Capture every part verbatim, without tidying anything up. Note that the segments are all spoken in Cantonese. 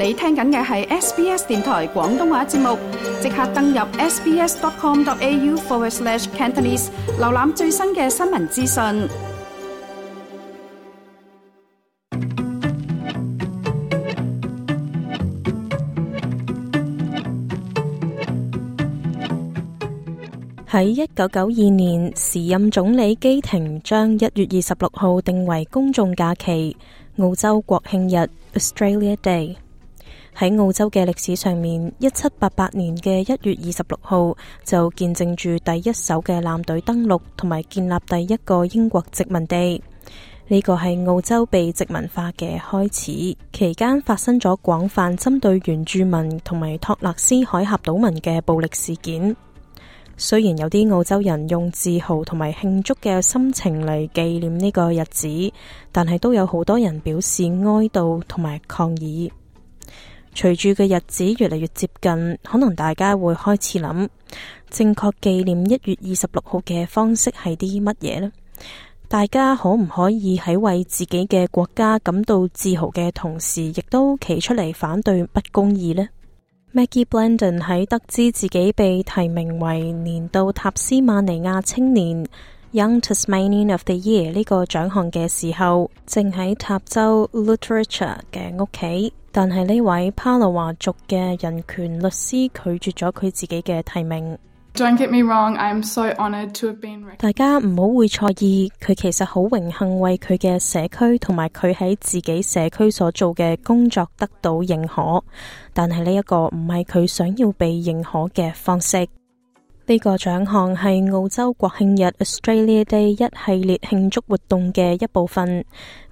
你聽緊嘅係 S B S 電台廣東話節目，即刻登入 sbs.com.au forward slash Cantonese， 瀏覽最新嘅新聞資訊。喺一九九二年，時任總理基廷將一月二十六號定為公眾假期，澳洲國慶日 Australia Day。喺澳洲嘅歷史上面，一七八八年嘅一月二十六號就見證住第一艘嘅艦隊登陸同埋建立第一個英國殖民地。呢個係澳洲被殖民化嘅開始，期間發生咗廣泛針對原住民同埋托勒斯海峽島民嘅暴力事件。雖然有啲澳洲人用自豪同埋慶祝嘅心情嚟紀念呢個日子，但係都有好多人表示哀悼同埋抗議。隨住嘅日子越嚟越接近，可能大家會開始諗，正確紀念一月二十六號嘅方式係啲乜嘢呢？大家可唔可以喺為自己嘅國家感到自豪嘅同時，亦都企出嚟反對不公義呢？Maggie Blandon 喺得知自己被提名為年度塔斯馬尼亞青年 Young Tasmanian of the Year 呢個獎項嘅時候，正喺塔州 Lutruwita 嘅屋企，但係呢位帕勞華族嘅人權律師拒絕咗佢自己嘅提名。Don't get me wrong, I'm so honoured to have been recognized. 大家唔好會錯意，佢其實好榮幸為佢嘅社區同埋佢喺自己社區所做嘅工作得到認可，但係呢一個唔係佢想要被認可嘅方式。呢個獎項係澳洲國慶日 Australia Day 一系列慶祝活動嘅一部分。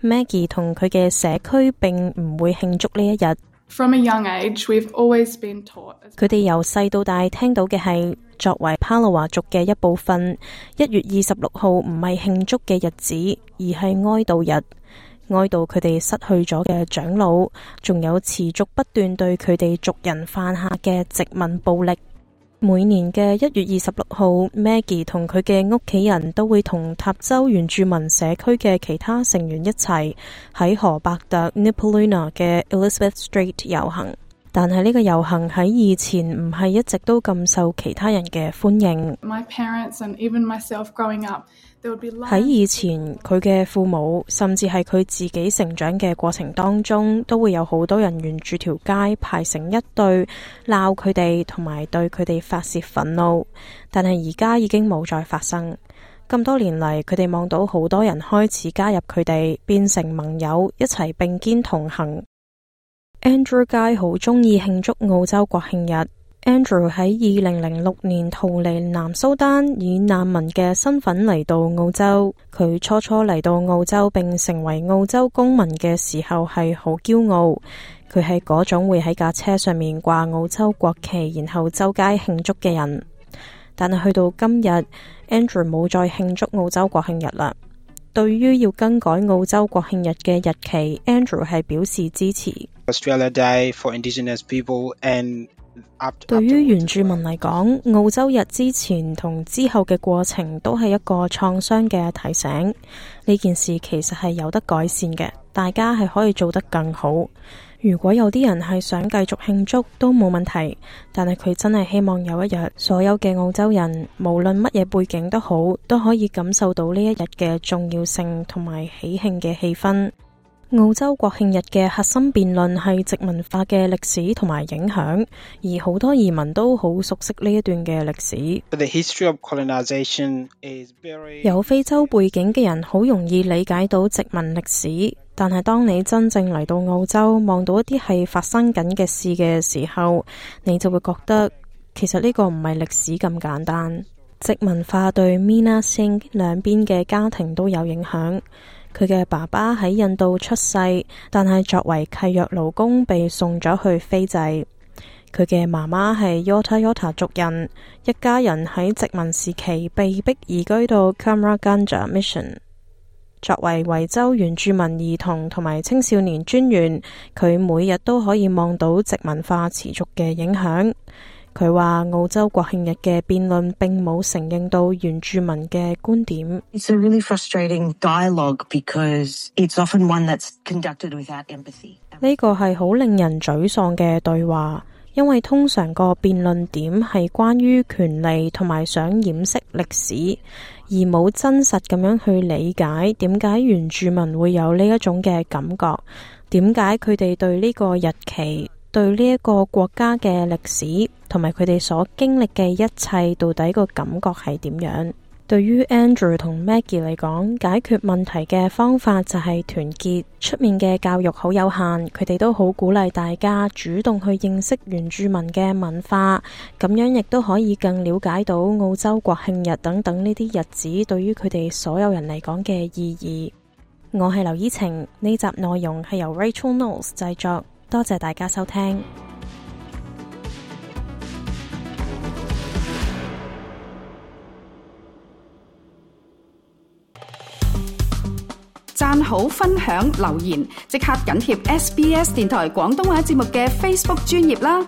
Maggie 同佢嘅社區並唔會慶祝呢一日。From a young age, we've always been taught. 佢哋由細到大聽到嘅係，作為帕勞華族嘅一部分，一月二十六號唔係慶祝嘅日子，而係哀悼日，哀悼佢哋失去咗嘅長老，仲有持續不斷對佢哋族人犯下嘅殖民暴力。每年嘅一月二十六號 Maggie 同佢嘅屋企人都會同塔州原住民社區嘅其他成員一齊喺河伯特 Nipaluna 嘅 Elizabeth Street 遊行，但係呢個遊行喺以前唔係一直都咁受其他人嘅歡迎。My parents and even myself growing up, there would be lines. 喺以前，佢嘅父母甚至係佢自己成長嘅過程當中，都會有好多人沿住條街排成一隊鬧佢哋，同埋對佢哋發洩憤怒。但係而家已經冇再發生。咁多年嚟，佢哋望到好多人開始加入佢哋，變成盟友，一齊並肩同行。Andrew 街好鍾意慶祝澳洲國慶日。Andrew 喺二零零六年逃離南蘇丹，以難民嘅身份嚟到澳洲。佢初初嚟到澳洲並成為澳洲公民嘅時候係好驕傲，佢係嗰種會喺架車上面掛澳洲國旗，然後周街慶祝嘅人。但係去到今日， Andrew 冇再慶祝澳洲國慶日啦。對於要更改澳洲國慶日嘅日期， Andrew 係表示支持。Australia Day for Indigenous people and對於原住民嚟講，澳洲日之前同之後嘅過程都係一個創傷嘅提醒。呢件事其實係有得改善嘅，大家係可以做得更好。如果有啲人係想繼續慶祝都冇問題，但係佢真係希望有一日，所有嘅澳洲人無論乜嘢背景都好，都可以感受到呢一日嘅重要性同埋喜慶嘅氣氛。澳洲國慶日嘅核心辯論係殖民化嘅歷史同埋影響，而好多移民都好熟悉呢一段嘅歷史。The history of colonization is very... 有非洲背景嘅人好容易理解到殖民歷史，但係當你真正嚟到澳洲，望到一啲係發生緊嘅事嘅時候，你就會覺得其實呢個唔係歷史咁簡單。殖民化對 Mina Singh 兩邊嘅家庭都有影響。佢嘅爸爸喺印度出世，但係作為契約勞工被送咗去斐濟。佢嘅媽媽係 Yorta Yorta 族人，一家人喺殖民時期被迫移居到 Kamarganja Mission。作為維州原住民兒童同埋青少年專員，佢每日都可以望到殖民化持續嘅影響。佢話澳洲國慶日嘅辯論並冇承認到原住民嘅觀點。It's a really frustrating dialogue because it's often one that's conducted without empathy. 呢個係好令人沮喪嘅對話，因為通常個辯論點係關於權利同埋想掩飾歷史，而冇真實咁樣去理解點解原住民會有呢一種嘅感覺，點解佢哋對呢個日期、對呢一個國家嘅歷史同埋佢哋所經歷嘅一切，到底個感覺係點樣？對於 Andrew 同 Maggie 嚟講，解決問題嘅方法就係團結。出面嘅教育好有限，佢哋都好鼓勵大家主動去認識原住民嘅文化，咁樣亦都可以更了解到澳洲國慶日等等呢啲日子對於佢哋所有人嚟講嘅意義。我係劉依晴，呢集內容係由 Rachel Knowles 製作，多謝大家收聽。讚好、分享、留言，即刻緊貼 S B S 電台廣東話節目嘅 Facebook 專頁啦！